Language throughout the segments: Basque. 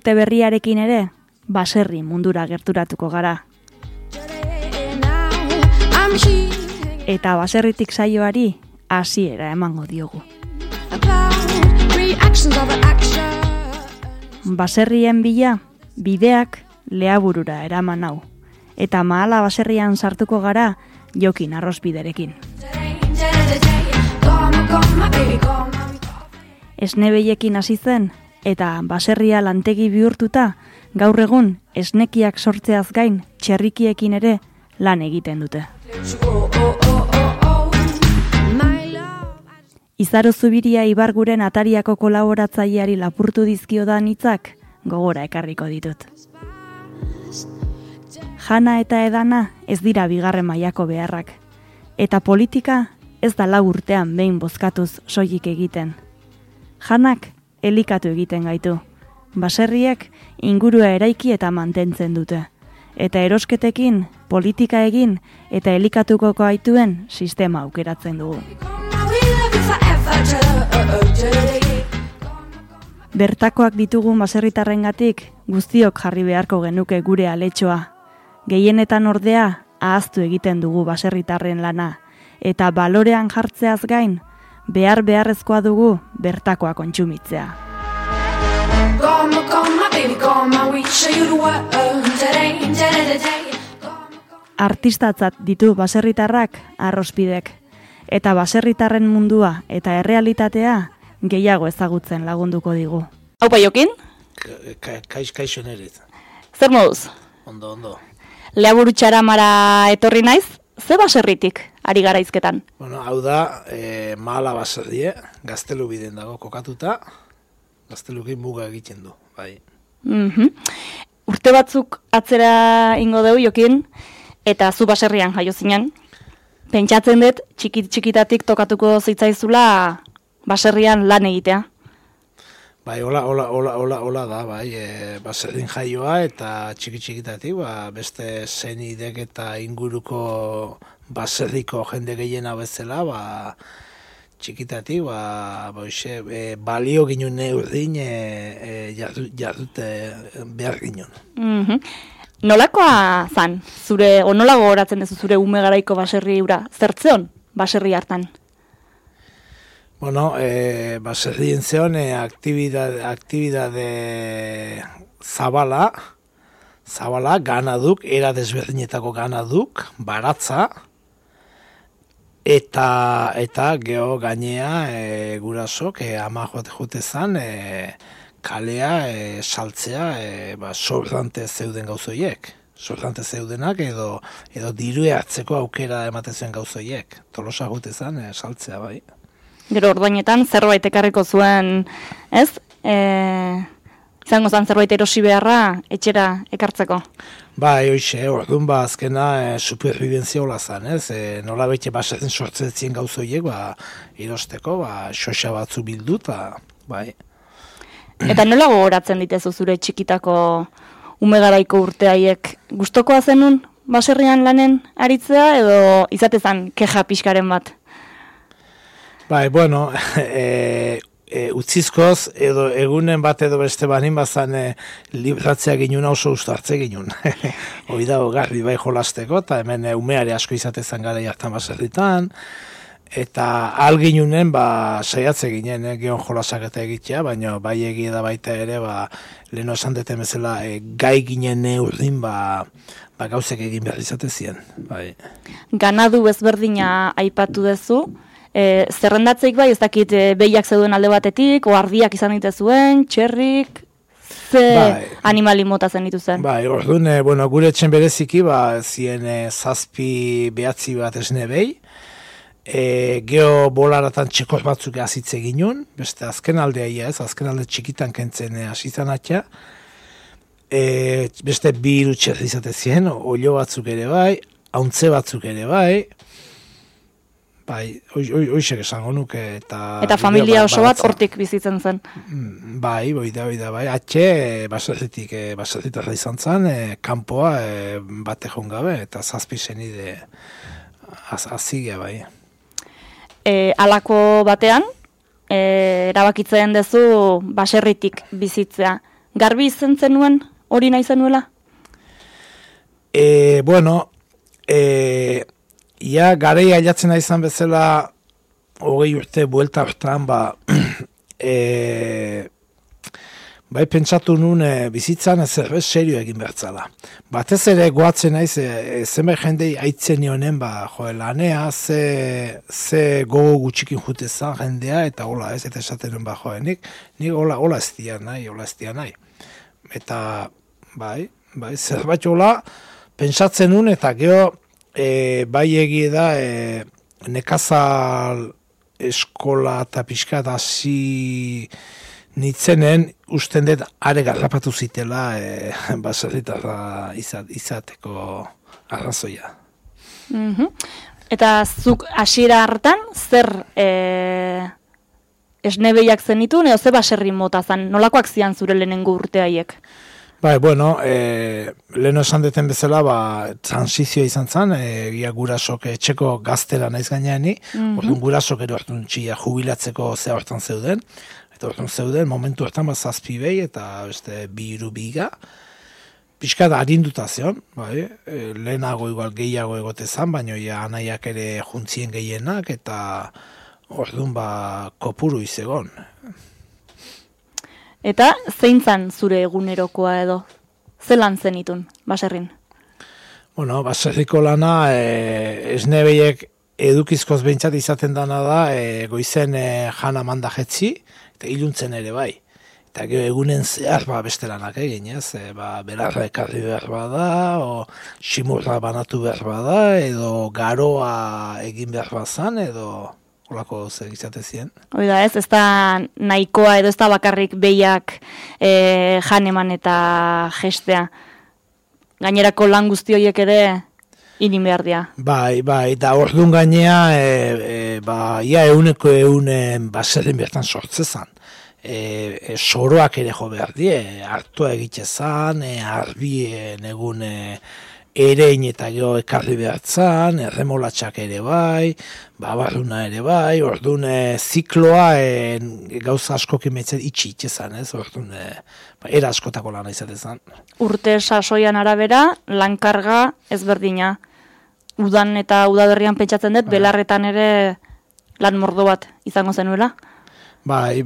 urte berriarekin ere, baserri mundura gerturatuko gara. Eta baserritik saioari hasiera emango diogu. Baserrien bila, bideak Leaburura eraman hau. Eta Mahala baserrian sartuko gara Jokin arrozbiderekin. Esnebeiekin hasi zen, eta baserria lantegi bihurtuta, gaur egun esnekiak sortzeaz gain txerrikiekin ere lan egiten dute. Izaro Zubiria Ibarguren Atariako kolaboratzaileari lapurtu dizkiodan hitzak gogora ekarriko ditut. Jana eta edana ez dira bigarren mailako beharrak, eta politika ez da 4 urtean behin bozkatuz soilik egiten. Janak elikatu egiten gaitu, baserriek ingurua eraiki eta mantentzen dute, eta erosketekin, politika egin eta elikatuko gaituen sistema aukeratzen dugu. Bertakoak ditugun baserritarrengatik guztiok jarri beharko genuke gure aletxoa. Gehienetan ordea ahaztu egiten dugu baserritarren lana, eta balorean jartzeaz gain, beharrezkoa dugu bertakoa kontsumitzea. Artistatzat ditu baserritarrak arrozbidek, eta baserritarren mundua eta errealitatea gehiago ezagutzen lagunduko digu. Haupa Jokin? Kaixo nerit. Zer moduz? Ondo. Leaburu Txaramara etorri naiz, ze baserritik ari gara hizketan? Bueno, hau da, Mahala baserrie, Gaztelu biden dago kokatuta, Gaztelukin muga egiten du, bai. Urte batzuk atzera ingo deu Jokin, eta zu baserrian jaio zinen. Pentsatzen dut, txikitatik tokatuko zitzaizula baserrian lan egitea. Bai, hola da, bai, baserrin jaioa eta txikitatik, beste zenidek eta inguruko baserriko jende gehiena bezala, txikitatik, balio ginen neurdin jardute behar ginen. Nolakoa zan, nola gogoratzen duzu zure ume garaiko baserri ura? Zertzeon baserri hartan? Bueno, baserrien zeon aktibidade zabala, ganaduk, era desberdinetako ganaduk, baratza, eta geho gainea gurasok, ama jote zan, kalea, saltzea, sobrante zeuden gauzoiek. Sobrante zeudenak edo dirue hartzeko aukera ematen zuen gauzoiek. Tolosa jote zan, saltzea, bai. Gero ordainetan zerbait ekarriko zuen, ez? Izango zen zerbait erosi beharra etxera ekartzeko. Bai, hoxe, orduan azkena supervivenzia hola zen, ez? Nola bete baserren sortzetzen gauzoiek, erosteko, xoxa batzu bildu, bai. Eta nola gogoratzen ditezu zure txikitako ume garaiko urteaiek? Gustokoa zenun baserrian lanen aritzea edo izatezan keja pixkaren bat? Bai, bueno, utzizkoz edo egunen bat edo beste banin bazan libratzea ginen oso ustartze ginen. Hoi da, garri bai jolasteko, eta hemen umeare asko izatezan gara jartan baserritan, eta alginunen saiatze ginen geon jolasak eta egitea, baina bai egia da baita ere, leheno esan deten bezala gai ginen neurdin, gauzek egin behar izatezien. Bai. Ganadu ezberdina aipatu duzu, zerrendatzeik bai, ez dakit behiak zeuden alde batetik, oardiak izan dituzuen, txerrik, animali mota zen dituzen. Bai, orduan, gure etxen bereziki, zien 7 behatzi bat esne behi, geho bolaratan txekos batzuk azitze ginen, beste azken aldea azken alde txikitan kentzen asizan atxa, beste 2 irutxerri izatezien, olio batzuk ere bai, hauntze batzuk ere bai, bai, hoixek esango nuke. Eta familia oso bat hortik bizitzen zen. Bai, bai. Atxe, baserritarra izan zen, kanpoa bate joan gabe, eta 7 zenide azigea, bai. Halako batean, erabakitzen duzu baserritik bizitzea. Garbi izen zenuen hori nahi zenuela? Bueno, ia gareia ailatzen izan bezala 20 urte buelta hortan, bai pentsatu nun bizitzan zerbait serio egin bertzala. Batez ere goatzen naiz zenbait jendei aitzen nionen lanea ze gogo gutxikin jutezan jendea eta hola ez, eta esaten nuen nik hola ez dia nahi. Eta bai, zerbait hola pentsatzen nun eta gero bai egie da nekazal eskola eta pixka da hasi nitzenen usten dut are garrapatu zitela baserritarra izateko arrazoia. Eta zuk hasiera hartan zer esnebeiak zenitun edo ze baserri mota zan? Nolakoak zian zure lehenengo urte haiek? Bai, bueno, leheno esan deten bezala, transizio izan zen, gurasok etxeko gaztera naiz gaineani, orduan gurasok ero hartun txia jubilatzeko ze hortan zeuden, eta hortan zeuden, momentu hortan zazpi behi eta beste biru biga, pixka da harinduta zion, bai, lehenago igual gehiago egote zan, baina anaiak ere juntzien gehienak, eta orduan kopuru izegon. Eta zein zan zure egunerokoa edo? Zelan zenitun, baserrin? Bueno, baserriko lana esnebeiek edukizkoz behintzat izaten dana da, goizen jana manda jetzi, eta iluntzen ere bai. Eta egunen zehar beste lanak egin, ez? Belarra ekarri behar bada, o simurra banatu behar bada, edo garoa egin behar bazan, edo olako zer izate ziren. Oida ez da nahikoa edo ez da bakarrik behiak janeman eta gestea. Gainerako lan guzti horiek ere inin behar dira. Bai, da orduan gainea, ia euneko baserrin bertan sortzezan. Soroak ere jo behar die, hartua egitezan, arbien egun erein eta gero ekarri behartzan, erremolatxak ere bai, barruna ere bai, orduan zikloa gauza askokin metzen itxezan, ez? Orduan era askotako lana izatezan. Urte sasoian arabera, lankarga ezberdina. Udan eta udaberrian pentsatzen dut, belarretan ere lan mordo bat izango zenuela? Bai,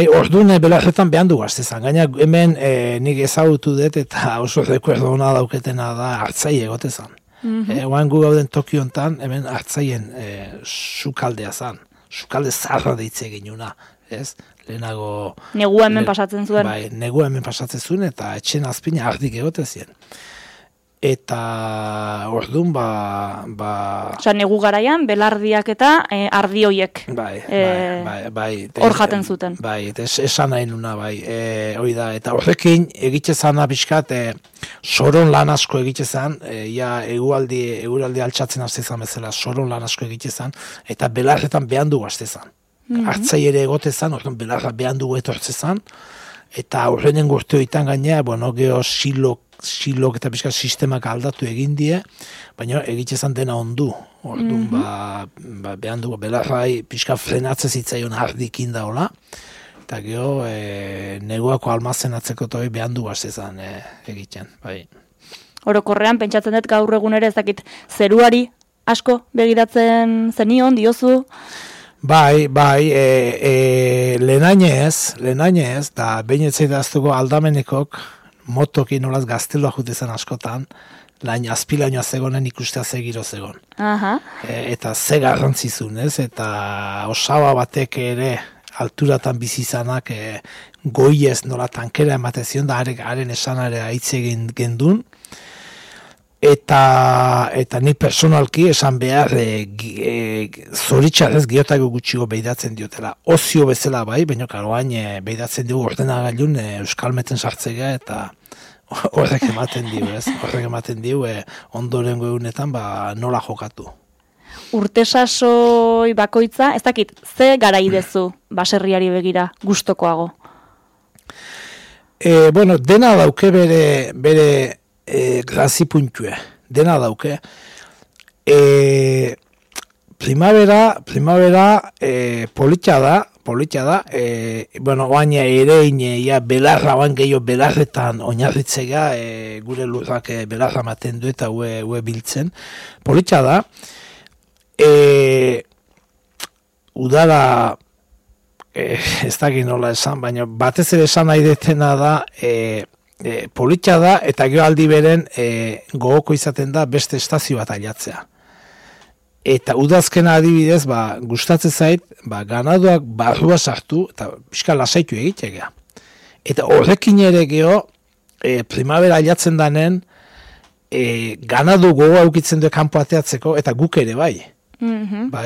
orduan belarretan behan du gaztezan. Gaina hemen nik ezagutu dut eta oso rekuerdo hona dauketena da hartzai egotezan. Oan gu gauden Tokiontan, hemen hartzaien sukaldea zan. Sukalde zarra deitze ginuna, ez? Lehenago... Negua hemen pasatzen zuen. Bai, negua hemen pasatzen zuen eta etxen azpina ardik egotezien. Eta orduan Osa, negu garaian, belardiak eta ardi hoiek. Bai. Hor jaten zuten. Bai, eta esan nahi nuna, bai. Hoi da, eta horrekin egitezan abiskat, soron lan asko egitezan, eguraldi altxatzen aztezan bezala, soron lan asko egitezan, eta belarretan behan du gaztezan. Hartzai ere egotezan, orduan belarra behan du etortzezan, eta horrenen gurteoitan gainea, geho silok eta pixka sistemak aldatu egin die, baina egitezan dena ondu. Orduan, behan dugu, belarrai pixka frenatze zitzaion ardikin daola, eta geho, neguako almazenatzeko toi behan dugu azezan egiten. Bai. Orokorrean, pentsatzen dut gaur egun ere ezakit zeruari asko begiratzen zenion, diozu? Bai, lehenainez, da behin etzaidaztuko aldamenekok, motokin nolaz gaztelua jutezan askotan, azpilainoa zegonen ikustea zegiro zegon. Eta ze garrantzizun, ez? Eta osaba batek ere alturatan bizizanak goiez nola tankera ematezion, da haren esanare aitze gendun. Eta ni personalki esan behar zoritxarrez gehiotako gutxigo behidatzen diotela. Ozio bezala bai, baina karoain behidatzen dugu ordenagailun euskalmeten sartzea eta horrek ematen diu, ez? Horrek ematen diu ondorengo egunetan nola jokatu. Urte sasoi bakoitza, ez dakit, ze garaidezu baserriari begira gustokoago? Dena dauke bere grazi puntue, dena dauke. Primavera politxa da, polita da, baina ere ia belarra, oan gehiago belarretan oinarritzega, gure lurrak belarra maten du eta ue biltzen. Polita da, udara, ez dakit nola esan, baina batez ere esan nahi detena da, polita da, eta gero aldi beren gogoko izaten da beste estazio bat ailatzea. Eta udazkena adibidez, gustatzen zait, ganaduak barrua sartu, eta pixka lasaitu egitegea. Eta horrekin ere geho, primavera ailatzen danen, ganadu gogoa aukitzen du kanpo ateatzeko, eta guk ere bai.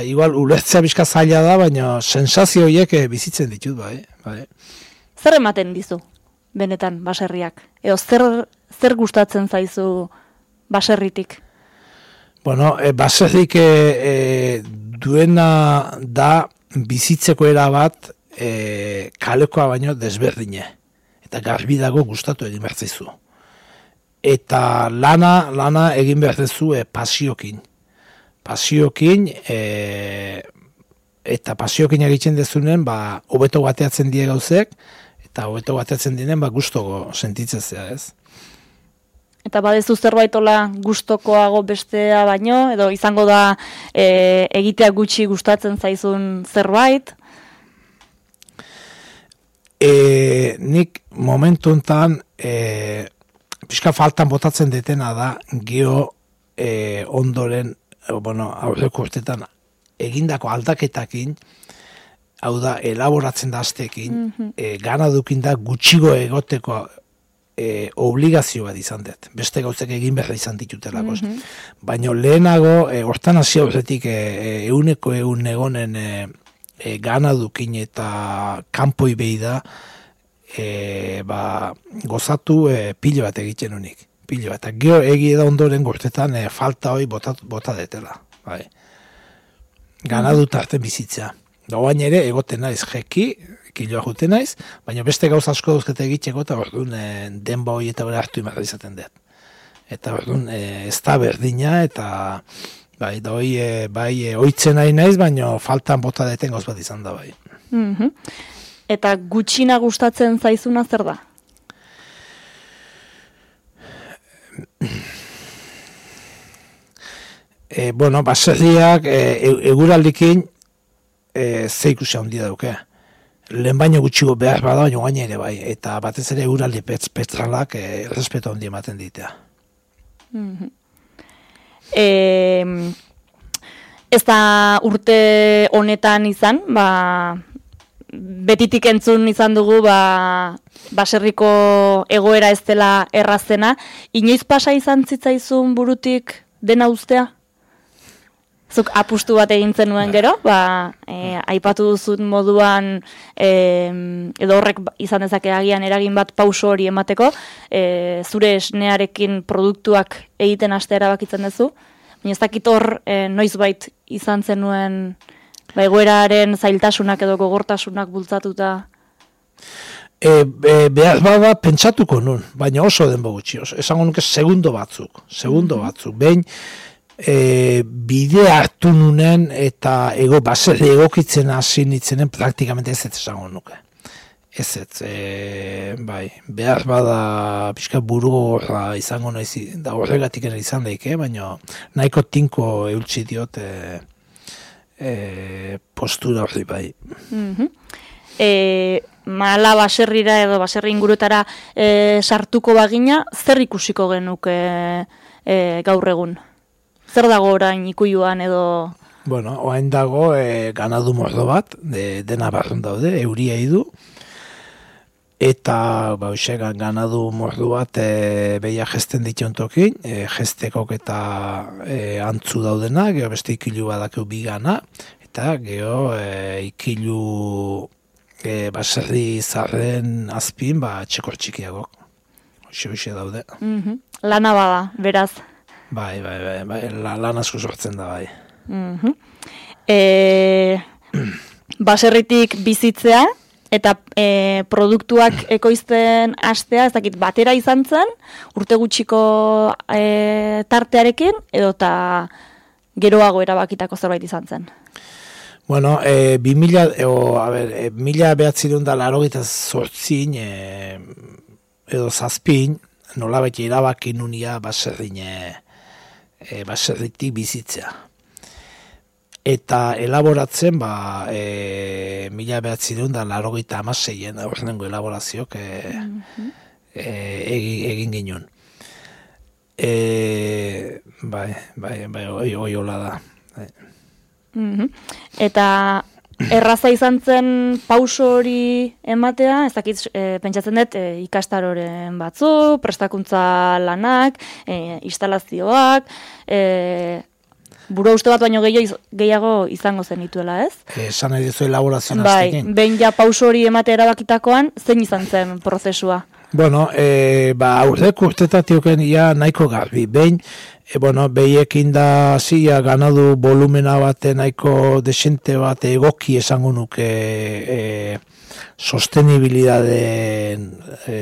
Igual ulertzea pixka zaila da, baina sensazio horiek bizitzen ditut, bai. Zer ematen dizu, benetan, baserriak? Edo zer gustatzen zaizu baserritik? Bueno, baserrik duena da bizitzeko erabat kalekoa baino desberdine. Eta garbi dago gustatu egin behar zaizu. Eta lana egin behar zaizu pasiokin. Pasiokin, eta pasiokin egiten dezunen, hobeto bateatzen die gauzek, eta hobeto bateatzen dienen, gustogo sentitzezea, ez? Eta badezu zerbaitola gustokoago bestea baino, edo izango da egitea gutxi gustatzen zaizun zerbait? Nik momentu enten pixka faltan botatzen detena da geho ondoren, aurreko urtetan egindako aldaketakin, hau da, elaboratzen da aztekin, ganadukin da gutxigo egoteko obligazio bat izan dut. Beste gauzek egin behar izan ditutelako. Baina lehenago, hortan hasi horretik euneko egonen ganadukin eta kanpoi behi da, gozatu pilo bat egiten unik. Pilo bat. Eta gero egi da ondoren gortetan falta hori bota detela. Ganadu tarten bizitzea. Gauain ere egoten naiz jeki, kiloa juten naiz, baina beste gauza asko dauzkete egiteko eta orduan denba hori eta bera hartu imarra izaten dut. Eta orduan ez da berdina eta oitzen nahi naiz, baina faltan bota deten gauz bat izan da bai. Eta gutxina gustatzen zaizuna zer da? Baserriak eguraldikin ze ikusi handia dauke. Lehen baino gutxigo behar bada, baina gaina ere bai. Eta batez ere eguraldi petralak respeto handia ematen ditea. Ez da urte honetan izan, betitik entzun izan dugu, baserriko egoera ez dela errazena. Inoiz pasa izan zitzaizun burutik dena ustea? Zuk apustu bat egin zenuen gero, aipatu duzun moduan, edo horrek izan dezake agian eragin bat pauso hori emateko, zure esnearekin produktuak egiten hastea erabakitzen duzu, baina ez dakit hor noizbait izan zenuen egoeraren zailtasunak edo gogortasunak bultzatuta. Behar bada pentsatuko nun, baina oso denbo gutxi, esango nuke segundo batzuk, behin, bide hartu nunen eta baserri egokitzen hasi nitzenen praktikamente ez esango nuke. Behar bada pixka buru horra izango naiz, da horregatik ere izan daike, baina nahiko tinko eultsi diot postura horri bai. Mala baserrira edo baserri ingurutara sartuko bagina, zer ikusiko genuke gaur egun? Zer dago orain Ikuiluan edo? Orain dago ganadu mordo bat, dena barrun daude, euria idu, eta ganadu mordo bat behia gesten dition tokin, gestekok eta antzu daudena, geho beste Ikilu badakeu bigana, eta geho Ikilu baserri zarren azpin, txekor txikiagok. Hoxe daude. Lana bada, beraz. Bai, lan asko sortzen da, bai. Baserritik bizitzea eta produktuak ekoizten hastea, ez dakit, batera izan zen, urte gutxiko tartearekin, edo eta geroago erabakitako zerbait izan zen? Bueno, 1988 edo zazpin, nolabait erabaki nunia baserritik bizitzea. Eta elaboratzen, 1986 aurrenengo elaborazioak egin ginen. Hoi hola da. Eta erraza izan zen pauso hori ematea, ez dakit pentsatzen dut ikastaroren batzu, prestakuntza lanak, instalazioak, buru uste bat baino gehiago izango zenituela, ez? Esan nahi duzu elaborazioan aztekin. Behin ja pauso hori ematea erabakitakoan, zein izan zen prozesua? Bueno, aurreko urtetatioken ia nahiko garbi. Behin, behiekin da zia ganadu volumena bate nahiko desente bat egoki esango nuke sostenibilidadeen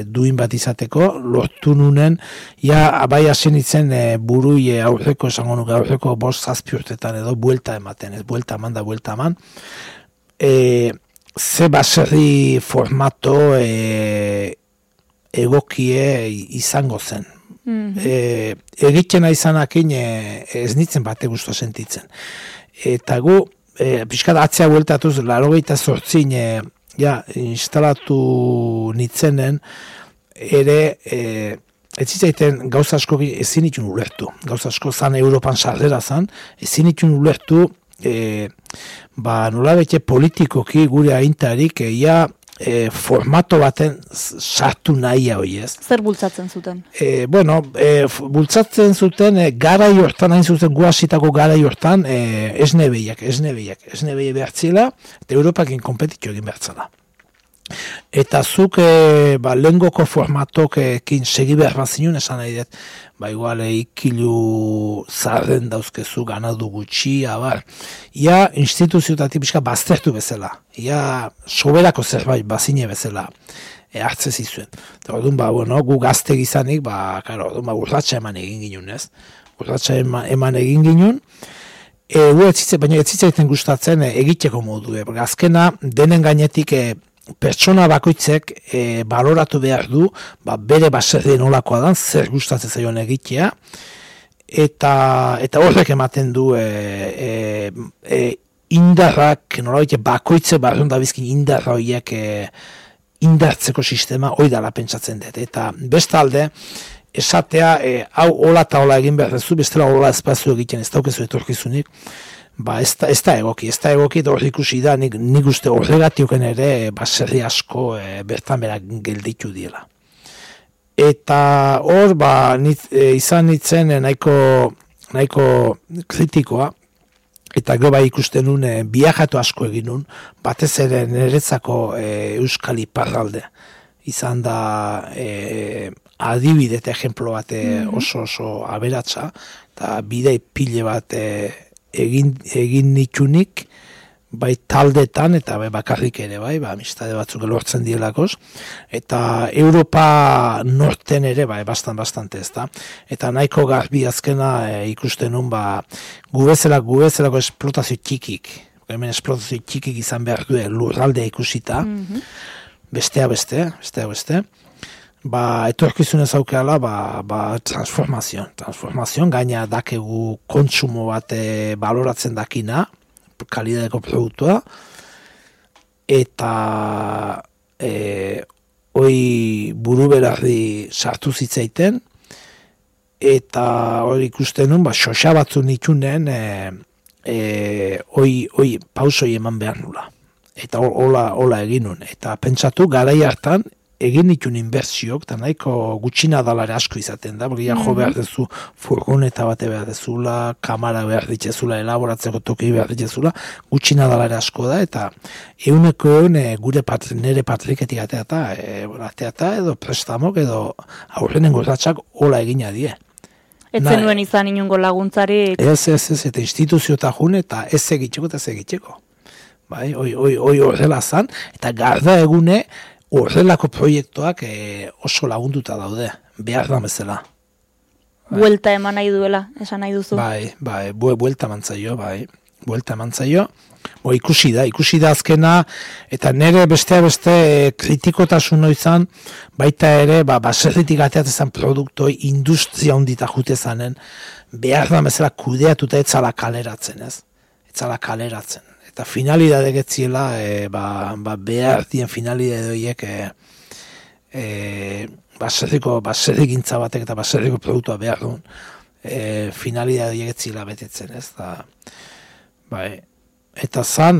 duin bat izateko, lortu nunen, bai hasi nintzen burui aurreko esango nuke, aurreko 5-6 urtetan edo buelta ematen, ez buelta eman. Ze baserri formato egokie izango zen. Egitena izanakin ez nintzen bate guztua sentitzen. Eta gu, pixkat atzea bueltatuz, 88 instalatu nitzenen, ere, ez zitzaiten gauza asko ezin itun ulertu. Gauza asko zan Europan sarrera zan, ezin itun ulertu, nolabete politikoki gure aintarik, formato baten sartu nahia hoi ez. Zer bultzatzen zuten? Bultzatzen zuten garai hortan, hain zuten guazitako garai hortan, esne behiak behartzila, eta Europakin kompetitio egin behartzela. Eta zuk lehengoko formatokekin segi behar bat zinun, esan nahi dut, igual ikilu zarren dauzkezu, ganadu gutxi, ia instituziotatik pixka baztertu bezala, ia soberako zerbait bazine bezala hartze zizuen. Eta orduan, gu gazte gizanik, urratxa eman egin ginen, ez? Urratxa eman egin ginen, baina ez zitzaiten gustatzen egiteko modu, azkena denen gainetik pertsona bakoitzek baloratu behar du, bere baserrien olakoa dan, zer gustatzen zaion egitea, eta horrek ematen du indarrak, nolabait bakoitze barrun da bizkin indarra horiek indartzeko sistema hori dala pentsatzen dut. Eta bestalde, esatea, hau hola eta hola egin behar dezu, bestela hola espazio egiten ez daukezu etorkizunik, ez da egoki, eta hor ikusi da, nik uste horregatioken ere baserri asko bertan berak gelditu diela. Eta hor, izan nitzen nahiko kritikoa, eta gero ikusten nun biajatu asko egin nun, batez ere niretzako Euskal Iparralde. Izan da adibide eta ejemplo bat oso aberatsa, eta bidei pile bat egin nitunik, bai taldetan eta bai bakarrik ere, amistade batzuk lortzen dielakoz, eta Europa norten ere, bastante ez da. Eta nahiko garbi azkena ikusten nun, gu bezalako esplotazio txikik, hemen esplotazio txikik izan behar du lurraldea ikusita, bestea beste, etorkizunez aukeala, transformazioan, gaina dakegu kontsumo bat baloratzen dakina, kalidadeko produktua, eta hoi buru berarri sartu zitzaiten, eta hori ikusten nun, xoxa batzu nitunen, hoi pausoi eman behar nula. Eta hola egin nun. Eta pentsatu, garai hartan, egin ditun inbertsiok, eta nahiko gutxina dalare asko izaten da, jo behar dezu furgoneta bate behar dezula, kamara behar ditzezula, elaboratzeko toki behar ditzezula, gutxina dalare asko da, eta euneko gure nire patriketik ateata, edo prestamok, edo aurrenen gorratxak hola egina die. Ez zenuen izan inungo laguntzarik? Ez, eta instituziota jun, eta ez egiteko. Hoi horrela zan, eta garda egune, horrelako proiektuak oso lagunduta daude, behar da bezala. Buelta eman nahi duela, esan nahi duzu? Buelta eman zaio, buelta eman zaio. Ikusi da azkena, eta nire beste kritikotasun izan, baita ere, baserritik ateatzen produktoi industria ondita jute zanen, behar da bezala kudeatuta etzala kaleratzen, ez? Etzala kaleratzen. Eta finalidade getziela, behar dien finalidade horiek baserrik gintza batek eta baserriko produktua behar duen, finalidade horiek getzila betetzen, ez? Eta zan,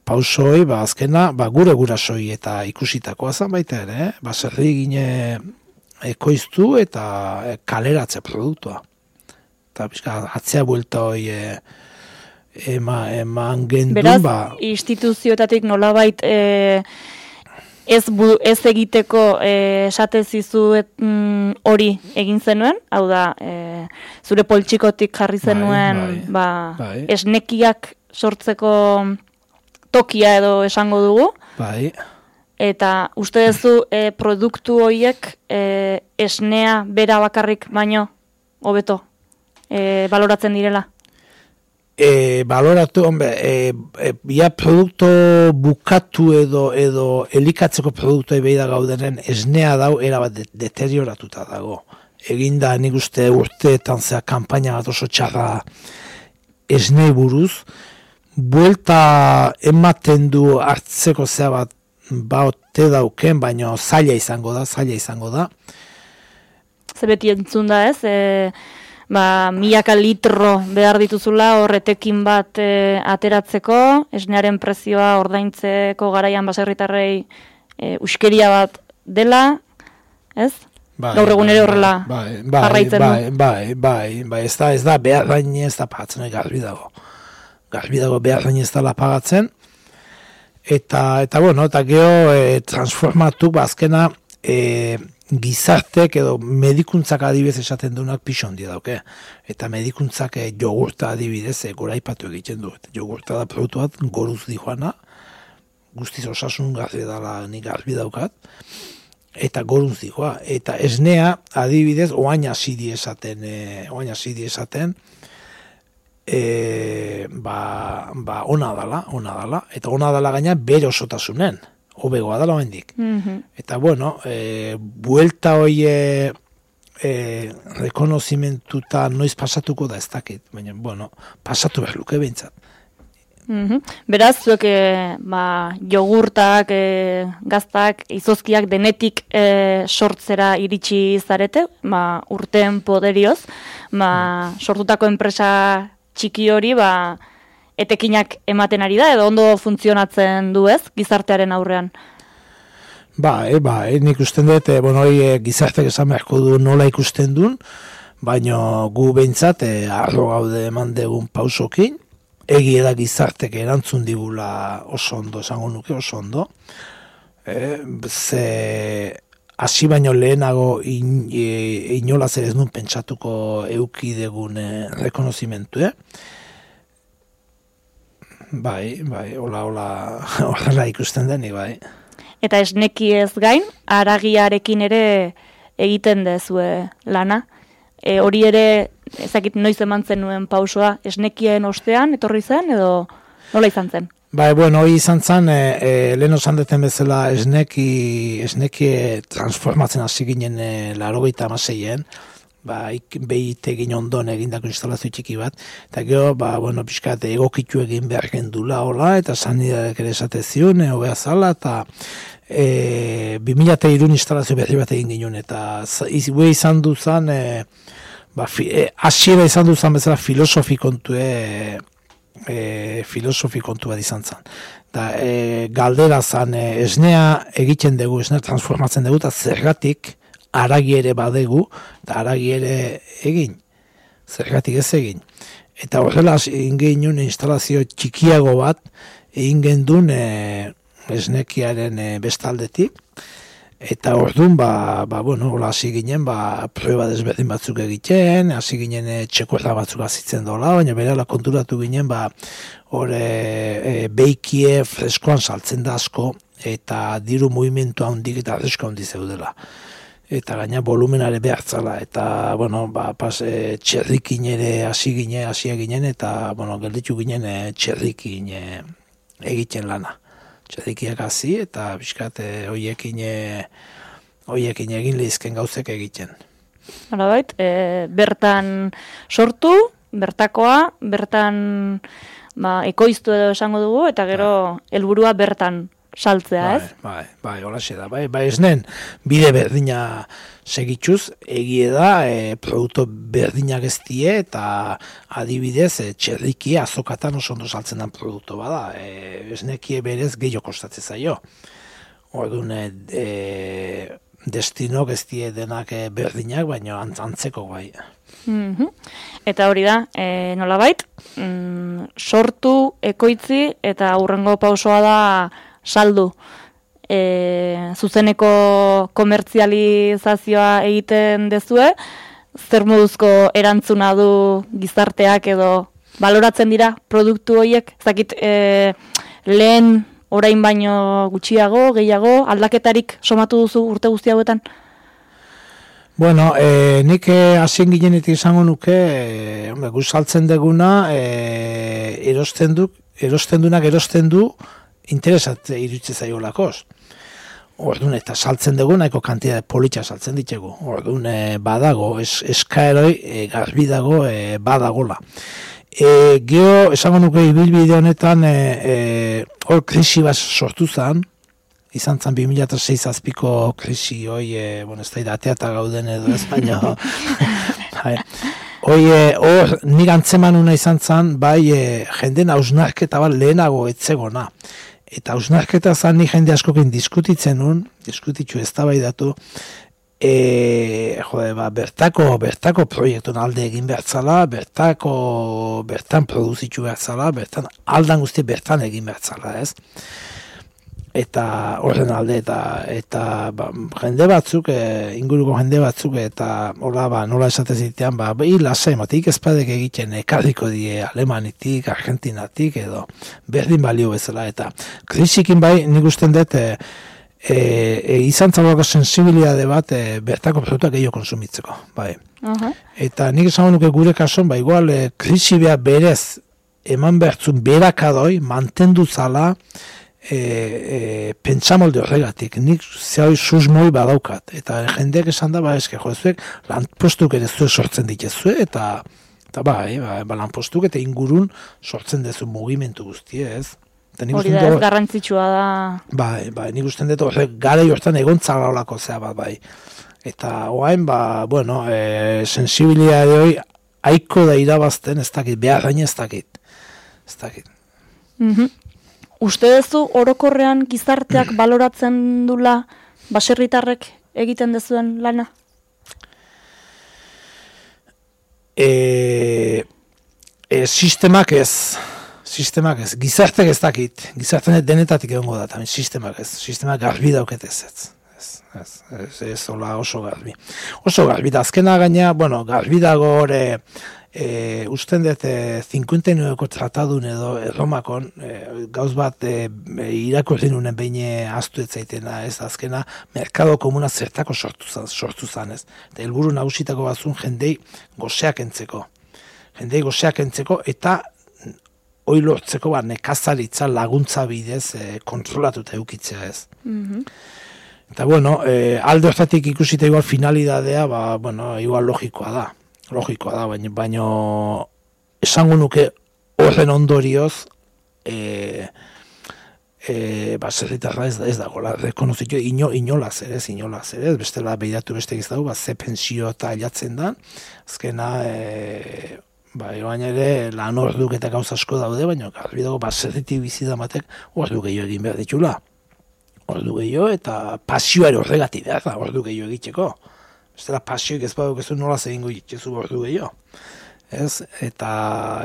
pausoi, azkena, gure gurasoi eta ikusitakoa zan baita ere, baserri gine ekoiztu eta kaleratze produktua. Eta atzea buelta hoi eman gendun. Beraz, instituzioetatik nolabait ez egiteko esatezizu hori egin zenuen, hau da, zure poltsikotik jarri zenuen esnekiak sortzeko tokia edo esango dugu. Bai. Eta uste duzu produktu horiek esnea bera bakarrik baino hobeto baloratzen direla? Baloratu, ja produktu bukatu edo elikatzeko produktu behi da gaudenen esnea dau erabat deterioratuta dago. Eginda nik uste urteetan zea kanpaina bat oso txarra esnei buruz, buelta ematen du hartzeko zea bat baute dauken, baina zaila izango da. Zebeti entzun da ez, milaka litro behar dituzula horretekin bat ateratzeko, esnearen prezioa ordaintzeko garaian baserritarrei uskeria bat dela, ez? Gaur egun ere horrela jarraitzen du. Bai, ez da behar dain ez da pagatzen, garbi dago. Garbi dago behar dain ez da pagatzen. Eta geho transformatu bazkena gizartek edo medikuntzak adibidez esaten duenak pixo handia dauke. Eta medikuntzak jogurta adibidez goraipatu egiten du. Jogurta da produktu bat goruz dijoana, guztiz osasun garbi dala nik garbi daukat, eta goruz dijoa. Eta esnea adibidez oain azidi esaten, ona dala, eta ona dala gaina bere osotasunen. Hobegoa dala oendik. Eta buelta hoie rekonozimentuta noiz pasatuko da ez dakit, baina, pasatu behar luke behintzat. Beraz, zuek jogurtak, gaztak, izozkiak denetik sortzera iritsi zarete, urteen poderioz, sortutako enpresa txiki hori, etekinak ematen ari da, edo ondo funtzionatzen du ez, gizartearen aurrean? Nik usten dut, gizarteak esan beharko du nola ikusten duen, baina gu behintzat, arro gaude eman degun pausokin, egia da gizartek erantzun digula oso ondo, esango nuke oso ondo, hasi baino lehenago inolaz ere ez nun pentsatuko euki degun rekonozimentu, Bai, horrela ikusten denik, bai. Eta esneki ez gain, haragiarekin ere egiten dezue lana. Hori ere, ezakit noiz eman zenuen pausoa, esnekien ostean, etorri zen, edo nola izan zen? Bai, hori izan zen, lehen osan deten bezala esneki transformatzen hasi ginen 86-en, behitegin ondon egindako instalazio txiki bat, eta gero, pixkat egokitu egin behar gendula, eta sanidadeak ere esate zion, hobea zala, eta 2003 instalazio berri bat egin ginen, eta izan duzan, hasiera izan duzan bezala filosofi kontu bat izan zen. Galdera zen, esnea egiten dugu, esnea transformatzen dugu, eta zergatik, haragi ere badegu, eta haragi ere egin, zergatik ez egin. Eta horrela egin genuen instalazio txikiago bat, egin gendun esnekiaren bestaldetik, eta orduan, hola hasi ginen, prueba desberdin batzuk egiten, hasi ginen txekorra batzuk azitzen dola, baina berela konturatu ginen, beikie freskoan saltzen da asko, eta diru movimentu handik eta fresko handi zeudela. eta gaina volumenare behartzala, eta, bueno, txerrikin ere hasia ginen, eta, bueno, gelditu ginen txerrikin egiten lana. Txerrikiak hasi, eta bizkat hoiekin egin lehizken gauzek egiten. Horabait, bertan sortu, bertakoa, bertan ekoiztu edo esango dugu, eta gero helburua bertan saltzea, ez? Bai, holaxe da. Bai, esnen, bide berdina segituz, egie da, produktu berdinak ez die, eta adibidez, txerrikia azokatan oso ondo saltzen den produktu bada. Esnekie berez gehiago kostatzen zaio. Orduan, destinok ez die denak berdinak, baina antzeko bai. Eta hori da, nolabait, sortu, ekoitzi, eta hurrengo pausoa da saldu. Zuzeneko komertzializazioa egiten dezue, zer moduzko erantzuna du gizarteak edo baloratzen dira produktu horiek? Zakit, lehen orain baino gutxiago, gehiago, aldaketarik somatu duzu urte guzti hauetan? Bueno, nik hasien ginenetik izango nuke, saltzen deguna, erosten du, interesat iruditzen zaio lakoz. Orduan, eta saltzen dugu, nahiko kantitate politxa saltzen ditugu. Orduan, badago, eskaeroi garbi dago, badagola. Gero, esango nuke ibilbide honetan, hor krisi bat sortu zen, izan zen 2006 azpiko krisi, ez da ateata gauden edo ez, baina, hor nik antzemanuna izan zen, bai, jenden hausnarketa bat lehenago etzegona. Eta hausnarketa zen ni jende askokin diskutitzu eztabaidatu, bertako proiektun alde egin behartzala, bertan produzitu behartzala, aldan guzti bertan egin behartzala, ez? Eta horren alde, eta jende batzuk, inguruko jende batzuk, eta nola esatez zitean, lasai, matik ezpadek egiten ekarriko die Alemanitik, Argentinatik, edo berdin balio bezala, eta krisikin bai, nik usten dut, izan zabalako sensibilitate bat bertako produktuak gehiago konsumitzeko, bai. Eta nik esan nuke gure kason, igual, krisi behar berez, eman behartzun berakadoi, mantendu zala, pentsamolde horregatik, nik zehoi susmoi badaukat, eta jendeak esan da, eske jozuek, lanpostuk ere zuek sortzen dituzue, eta lanpostuk eta ingurun sortzen dezu mugimendu guztie, ez? Hori da, ez garrantzitsua da. Bai, nik usten dut horrek gara hortan egontzala olako zea bat, bai. Eta oain, sensibilitate hori aiko da irabazten, ez dakit, behar gaine ez dakit. Uste duzu orokorrean gizarteak baloratzen dula baserritarrek egiten dezuen lana? Sistemak ez, gizartek ez dakit, gizartenet denetatik egongo da, sistemak ez, sistemak garbi dauket ez. Ez oso garbi. Oso garbi da, azkena gaina, garbi dago hori, usten dut 59ko tratadun edo Romakon, gauz bat irakurri nunen behin aztu etzaitena, ez azkena, merkado komuna zertako sortu zan, ez. Eta helburu nagusitako batzun jendei goseak entzeko. Eta hoi lortzeko nekazaritza laguntza bidez kontrolatuta eukitzea, ez. Eta alde hortatik ikusita igual finalidadea, igual logikoa da, baina esango nuke horren ondorioz baserritarra ez dagoela, rekonozitu inolaz ere, bestela behiratu beste giztagu, ze pensio eta ailatzen da, azkena, baina ere lan orduk eta gauza asko daude, baina garbi dago baserritik bizidamatek ordu gehiago egin behar ditula. Ordu gehiago eta pasioare horregati behar da, ordu gehiago egiteko. Bestela pasioik ez baduk ez du nola egingo itxezu ordu gehiago. Eta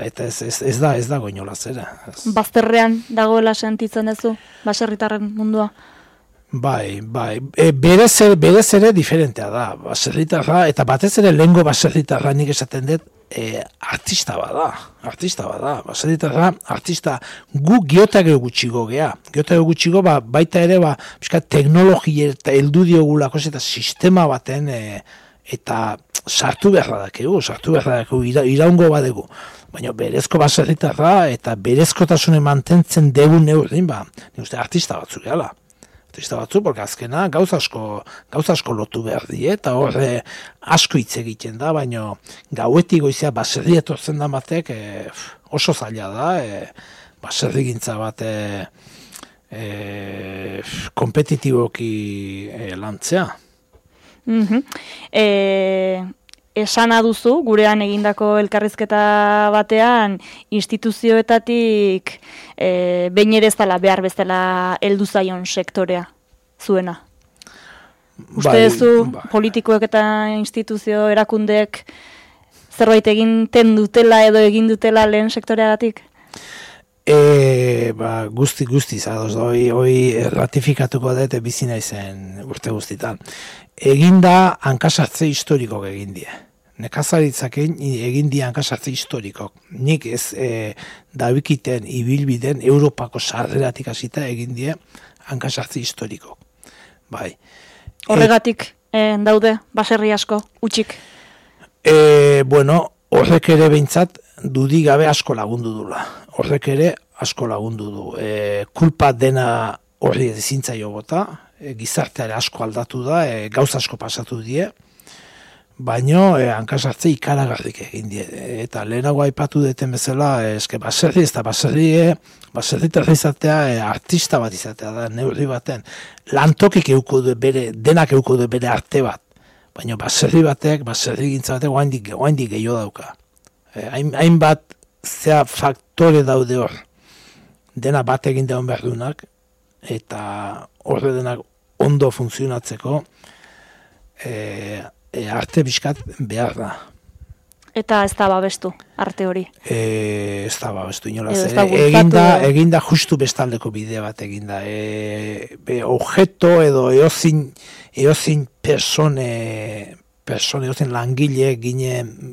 ez dago inolaz ere. Bazterrean dagoela sentitzen duzu, baserritarren mundua? Bai. Berez ere diferentea da, baserritarra, eta batez ere lehengo baserritarra nik esaten dut, artista bada, baserritarra artista, gu geotage gutxigo gea, baita ere, teknologia eta heldu diogulako eta sistema baten, eta sartu behar dakegu, iraungo badegu, baina berezko baserritarra eta berezkotasune mantentzen degun neurrin, nik uste artista batzuk gehala. Porque azkena gauza asko lotu behar die, eta horre asko hitz egiten da, baina gauetik goizea baserri etortzen da batek oso zaila da, baserri gintza bat kompetitiboki lantzea. Esana duzu, gurean egindako elkarrizketa batean, instituzioetatik behin ere ez dela behar bezala heldu zaion sektorea zuena. Uste duzu politikoek eta instituzio erakundeek zerbait egiten dutela edo egin dutela lehen sektoreagatik? Guztiz, hoi ratifikatuko dut bizi naizen urte guztitan. Eginda hankasartze historikok egin die. Nekazaritzaak egin die hankasartze historikok. Nik ez dabikiten ibilbiden Europako sarreratik hasita egin die hankasartze historikok. Bai. Horregatik daude baserri asko, utxik? Horrek ere behintzat dudik gabe asko lagundu dula. Horrek ere asko lagundu du. Kulpa dena horri ezintzaio bota, gizarteare asko aldatu da, gauza asko pasatu die, baino hankasartze ikaragarrik egin die. Eta lehenago aipatu deten bezala, baserri ez da baserritarra izatea, artista bat izatea da, neurri baten. Lantokik denak euko du bere arte bat, baina baserri gintza batek oaindik gehiago dauka. Hainbat zea faktore daude hor, dena bat egin daun behar dunak, eta horre denak ondo funtzionatzeko arte bizkat behar da. Eta ez da babestu, arte hori? Ez da babestu, inolaz. Eginda justu bestaldeko bide bat eginda. Objeto edo eozin persone, eozin langile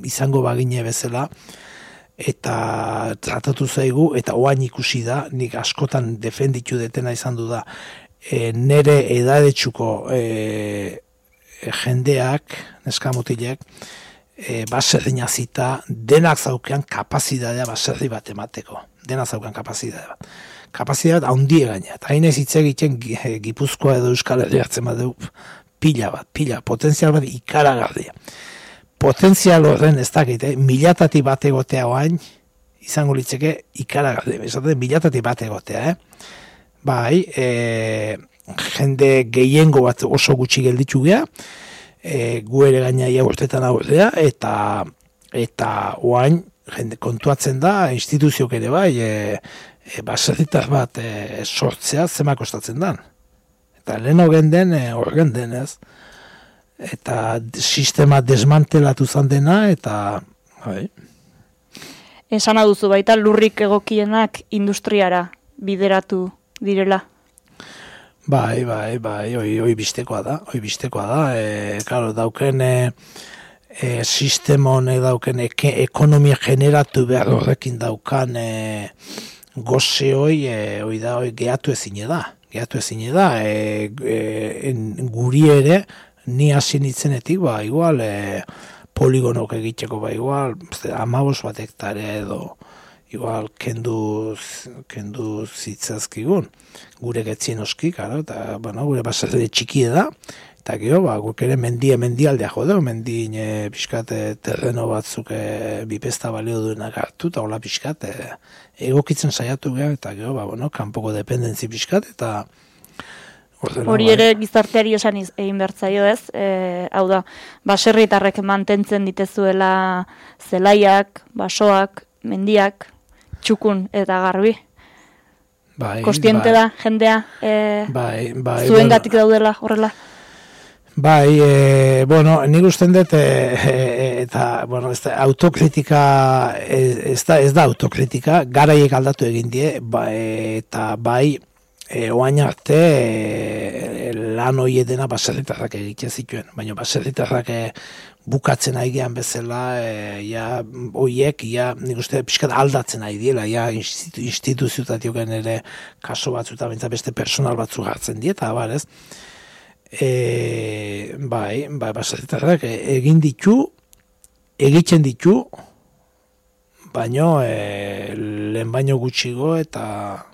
izango bagine bezala, eta tratatu zaigu, eta oain ikusi da, nik askotan defenditu detena izan du da, nere edadetxuko jendeak, neskamutilek, baserri nazita, denak zaukean kapazidadea baserri bat emateko. Denak zaukean kapazidadea bat. Kapazidadea bat haundie gaina. Eta hainez hitz egiten Gipuzkoa edo Euskal Herri hartzen badeu pila, potentzial bat ikaragarria. Potentzial horren ez dakit, milatatik bat egotea oain, izango litzeke ikaragarria. Esaten milatatik bat egotea, Bai, jende gehiengo bat oso gutxi gelditu gea, gu ere gaina ia urtetan aurrea, eta oain jende kontuatzen da, instituziok ere bai, baserritar bat sortzea zema kostatzen dan. Eta lehen horren den, ez? Eta sistema desmantelatu zan dena, eta bai. Esana duzu baita lurrik egokienak industriara bideratu direla. Bai, hoi bistekoa da. Claro, dauken sistema honek dauken ekonomia generatu behar horrekin daukan goze hoi gehatu ezine da. Guri ere, ni hasi nitzenetik, igual poligonok egiteko, igual 15 bat hektarea edo, igual kendu zitzazkigun. Gure getzien oski, eta gure baserri txiki da, eta gero, guk ere mendialdea jode, mendin pixkat terreno batzuk bipesta balio duenak hartu, eta hola pixkat egokitzen saiatu gara, eta gero, kanpoko dependentzi pixkat, eta hori ere gizarteari esan egin bertzaio ez, hau da, baserritarrek mantentzen ditezuela zelaiak, basoak, mendiak, txukun eta garbi. Kostiente da, jendea, zuengatik daudela horrela? Nik usten dut, eta, autokritika, ez da autokritika, garaiek aldatu egin die, eta oain arte lan hoietena baserritarrak egite zituen, baina baserritarrak bukatzen aigean bezala, hoiek, nik uste pixkat aldatzen ari diela, instituziotatioken ere kaso batzu eta beste personal batzu hartzen dieta, ez? Baserritarrak egiten ditu, baino lehen baino gutxigo eta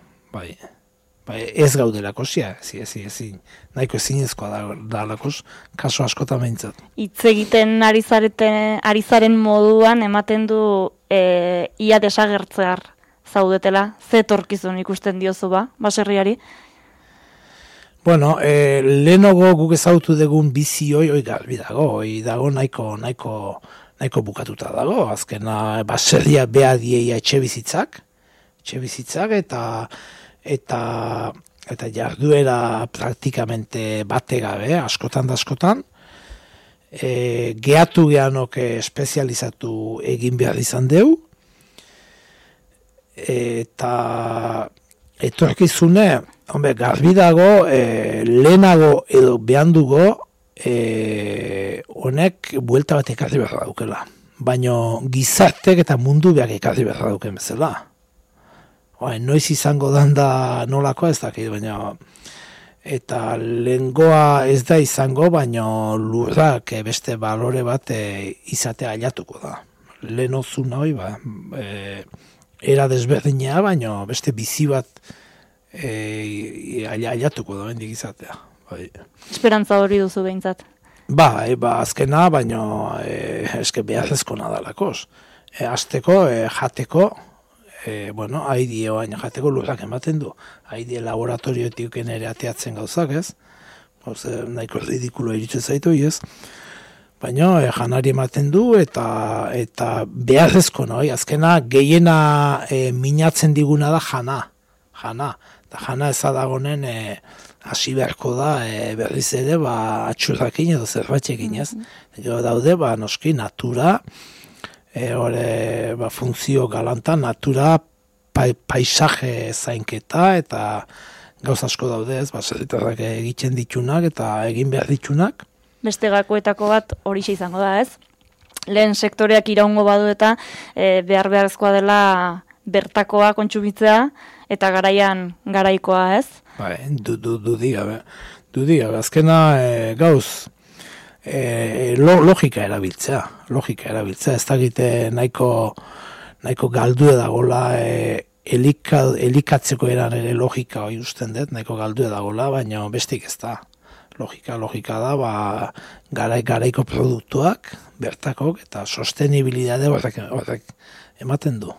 ez gaudelako ezin, nahiko ezinezkoa dalakos, kaso askotan behintzat. Hitz egiten ari zaren moduan ematen du ia desagertzear zaudetela, ze etorkizun ikusten diozu baserriari? Bueno, lehenago guk ezagutu dugun bizi hoi garbi dago nahiko bukatuta dago, azkena baserria beha dieia etxe bizitzak eta jarduera praktikamente bate gabe, askotan da askotan, gehatu gehanok espezializatu egin behar izan deu, eta etorkizune, garbi dago, lehenago edo behandugo, honek buelta bat ekarri behar daukela. Baina gizartek eta mundu behar ekarri behar dauken bezala. Noiz izango da nolakoa ez dakit, baina eta lehengoa ez da izango, baina lurrak beste balore bat izatea ailatuko da. Lehen ozun hori, era desberdinea, baina beste bizi bat ailatuko da bendik izatea. Esperantza hori duzu behintzat? Azkena, baina eske beharrezko nadalakos. Azteko, jateko, haidie baina jateko lurrak ematen du. Haidie laboratorioetik ere ateatzen gauzak, ez? Nahiko ridikulo iritsen zaitu, ez? Baina janari ematen du eta beharrezko, azkena gehiena minatzen diguna da jana. Eta jana ezadagonen hasi beharko da berriz ere atxurrakin edo zerbatxekin, ez? Daude, noski, natura, funtzio galanta, natura, paisaje zainketa eta gauz asko daude, ez? Baserritarrak egiten ditunak eta egin behar ditunak. Beste gakoetako bat horixe izango da, ez? Lehen sektoreak iraungo badu eta beharrezkoa dela bertakoa kontsumitzea eta garaian garaikoa, ez? Dudigabe, azkena gauz logika erabiltzea, ez dakite nahiko galdue dagoela elikatzeko eran ere logika hori usten dut, nahiko galdue dagoela, baina bestik ez da. Logika da, garaiko produktuak, bertakok, eta sostenibilidade horrek ematen du.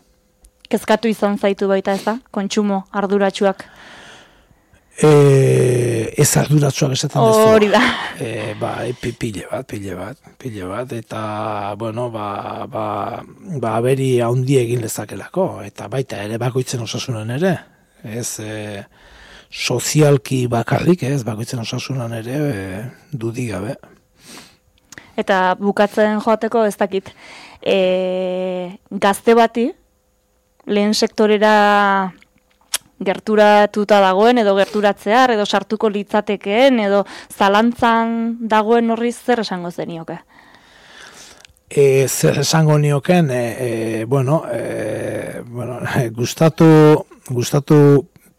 Kezkatu izan zaitu baita ez da? Kontsumo arduratsuak? Ez arduratsuak esaten dezu. Hori da. Pile bat, eta, aberi haundi egin lezakelako, eta baita ere bakoitzen osasunan ere, ez sozialki bakarrik, ez bakoitzen osasunan ere dudigabe. Eta bukatzen joateko ez dakit, gazte bati, lehen sektorera gerturatuta dagoen, edo gerturatzear, edo sartuko litzatekeen, edo zalantzan dagoen horri zer esango zenioke? Zer esango nioken, gustatu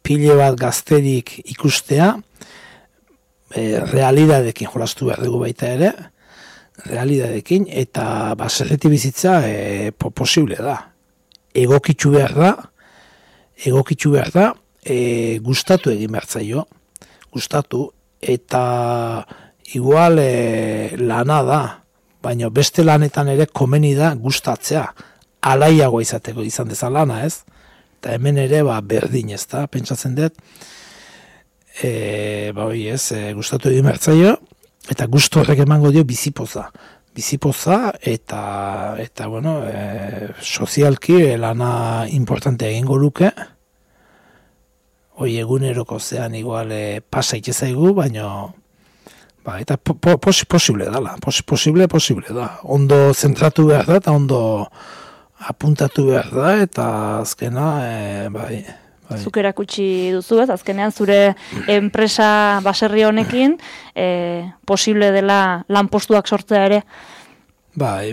pile bat gazterik ikustea, realidadekin jolastu behar dugu baita ere, realidadekin, eta baserreti bizitza posible da. Egokitzu behar da, gustatu egin behar zaio, gustatu, eta igual lana da, baina beste lanetan ere komeni da gustatzea, alaiagoa izateko izan dezan lana, ez? Eta hemen ere berdin, ez da, pentsatzen dut, gustatu egin behar zaio, eta gustu horrek emango dio bizipoza eta sozialki lana importante egingo luke, hoi eguneroko zean igual pasa itezaigu, baina eta posible dala, posible da, ondo zentratu behar da, eta ondo apuntatu behar da, eta azkena, Zuk erakutsi duzu, ez? Azkenean zure enpresa baserri honekin posible dela lanpostuak sortzea ere. Bai.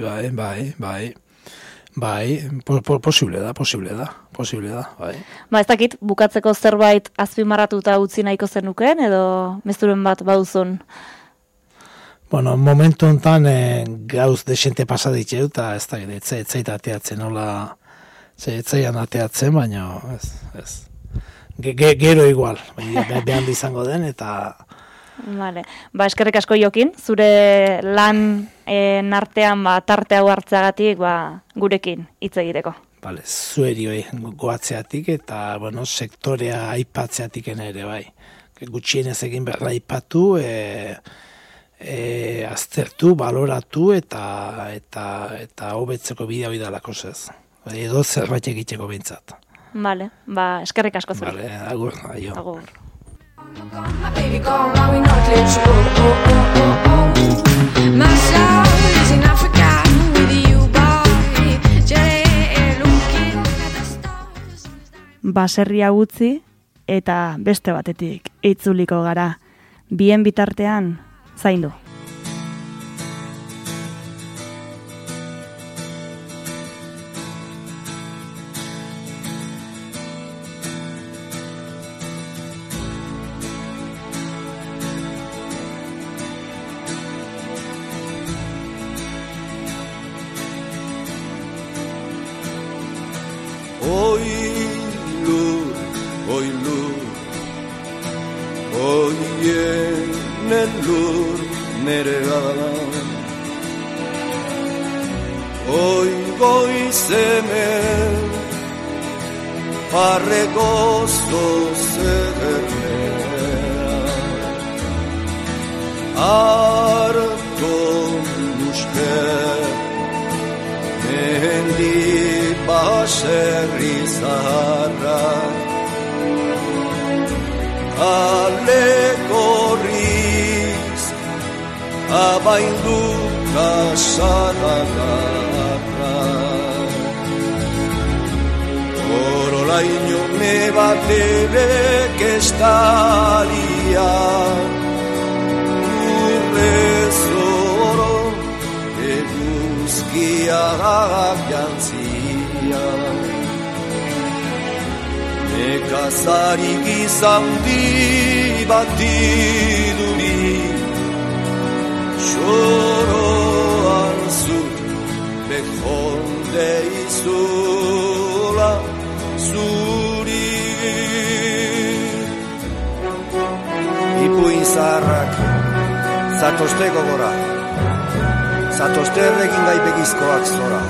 Posible da, bai. Ez dakit, bukatzeko zerbait azpimarratuta utzi nahiko zenukeen, edo mezuren bat baduzun? Bueno, momentu honetan gauz desente pasaditxeu, eta ez da, etzait ateatzen, nola, etzaian ateatzen, baina ez. Gero igual, behan izango den, eta... Vale. Eskerrik asko Jokin, zure lan artean tarte hau hartzeagatik gurekin hitz egiteko. Vale, zuerioi goatzeatik eta sektorea aipatzeatik ere bai. Gutxienez egin berra aipatu, aztertu, baloratu eta hobetzeko bidea hori dalako zez. Edo zerbait egiteko behintzat. Vale, eskerrik asko zure. Vale, agur, aio. Agur. My baby gone, now we not let you go. My soul is in Africa with you, boy. Looking at the stars. Baserria utzi eta beste batetik itzuliko gara. Bien bitartean zaindu. Zandi batiduri Xoroan zut Bejonde izula Zuri Ipuin zaharrak Zatozte gogora Zatozte erregin gaibegizkoak zora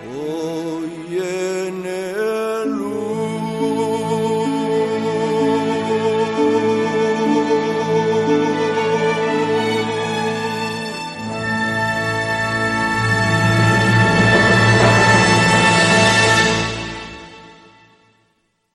Oh